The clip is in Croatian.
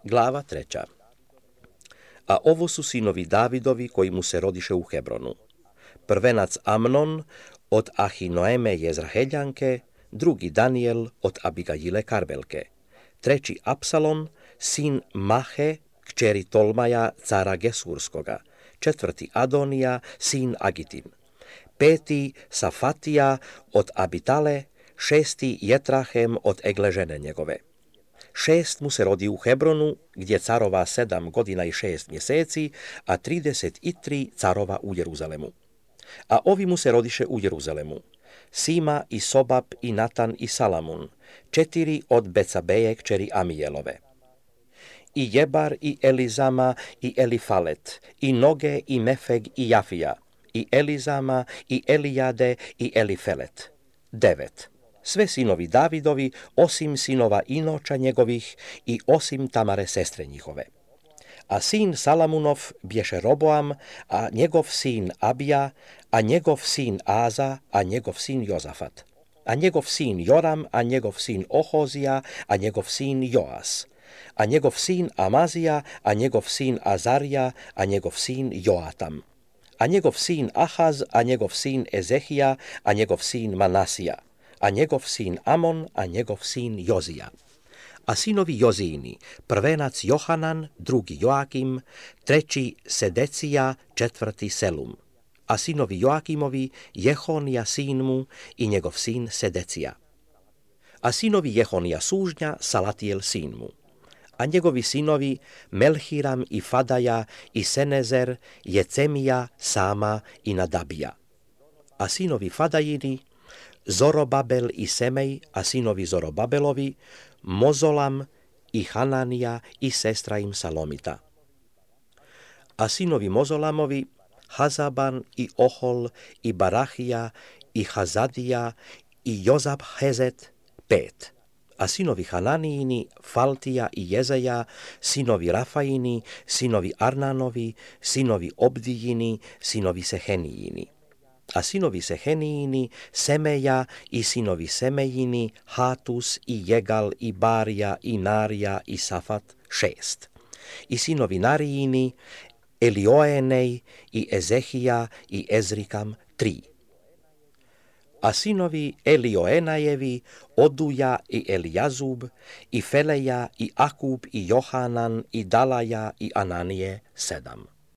Glava 3. A ovo su sinovi Davidovi koji mu se rodiše u Hebronu. Prvenac Amnon od Ahinoeme Jezraheljanke, drugi Daniel od Abigajile Karmelke, treći Apsalon, sin Mahe, kćeri Tolmaja, cara Gesurskoga, četvrti Adonija, sin Agitin, peti Safatija od Abitale, šesti Jetrahem od Egle žene njegove. 6 mu se rodi u Hebronu, gdje carova 7 godina i 6 mjeseci, a 33 carova u Jeruzalemu. A ovi mu se rodiše u Jeruzalemu: Sima i Sobab i Natan i Salamun, 4 od Becabeje kćeri Amijelove, i Jebar i Elizama i Elifalet, i Noge i Mefeg i Jafija, i Elizama i Elijade i Elifelet, 9. Sve sinovi Davidovi, osim sinova Inoča njegovih i osim Tamare sestre njihove. A sin Salamunov bješe Roboam, a njegov sin Abija, a njegov sin Aza, a njegov sin Jozafat, a njegov sin Joram, a njegov sin Ohozija, a njegov sin Joas, a njegov sin Amazija, a njegov sin Azarija, a njegov sin Joatam, a njegov sin Ahaz, a njegov sin Ezehija, a njegov sin Manasija, a njegov sin Amon, a njegov sin Jozija. A sinovi Jozijini: prvenac Johanan, drugi Joakim, treći Sedecija, četvrti Selum. A sinovi Joakimovi: Jehonija sin mu i njegov sin Sedecija. A sinovi Jehonija sužnja: Salatijel sin mu. A njegovi sinovi: Melhiram i Fadaja i Senezer, Jecemija, Sama i Nadabija. A sinovi Fadajini: Zorobabel i Semej, a sinovi Zorobabelovi: Mozolam i Hananija i sestra im Salomita. A sinovi Mozolamovi: Hazaban i Ohol i Barahija i Hazadija i Jozabhezet, 5. A sinovi Hananijini: Faltija i Jezeja, sinovi Rafaini, sinovi Arnanovi, sinovi Obdijini, sinovi Sehenijini. A sinovi Sehenijini: Semeja i sinovi Semejini, Hatus i Jegal i Barija i Narija i Safat, 6. I sinovi Narijini: Elioenej i Ezehija i Ezrikam, 3. A sinovi Elioenajevi: Oduja i Elijazub i Feleja i Akub i Johanan i Dalaja i Ananije, 7.